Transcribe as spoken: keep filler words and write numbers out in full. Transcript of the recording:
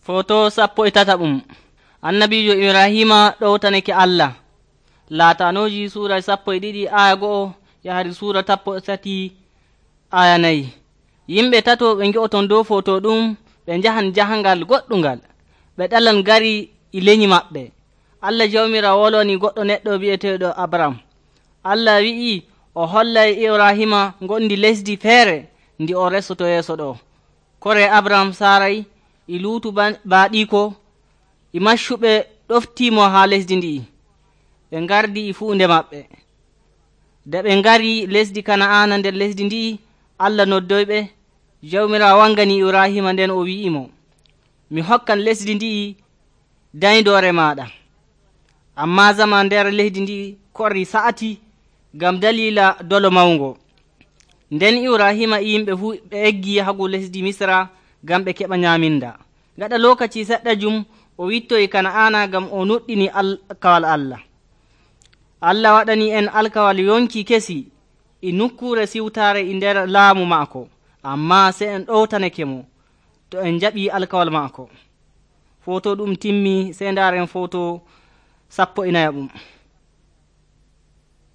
Foto sappo e tataɓum. Annabijo Ibrahima ɗowtanake Allah. Laatanoji sura sappo e ɗiɗi aya go'o yahari sura tappo e tati aya nayi. Yimɓe tato ɓe ngi'oton dow foto ɗum ɓe njahan jahangal goɗɗungal. Ɓe ɗalan gari e leñi maɓɓe. Allah jawmirawo wolwani goɗɗo neɗɗo bi'eteɗo Abram. Allah wi'i o hollay Ibrahima gondi lesdi feere ndi o resoto yeeso ɗo. Kore Abram saray e luutu baaɗiko e maccuɓe ɗoftimo ha lesdi ndi. Ɓe gardi e fuunde maɓɓe. De ɓe ngari lesdi Kana'ana nder lesdi ndi, Allah noddoyɓe. Jawmirawo wangani Ibrahima nden o wi'imo, mi hokkan lesdi ndi dayndore maɗa. Amma zama nder lesdi ndi kori sa'ati gam dalila dolo mawngo. Nden Ibrahima e yimɓe fuu ɓe eggi yahago lesdi Misra gam ɓe keɓa nyaminda. Gaɗa lokaci seɗɗa jum o wittoyi Kana'ana gam o nuɗɗini alkawal Allah. Allah waɗani en alkawal yonki kesi e nukkure siwtare e nder laamu maako, amma se en ɗowtanake mo to en jaɓi alkawal maako. Foto ɗum timmi, se ndaren foto sappo e nayaɓum.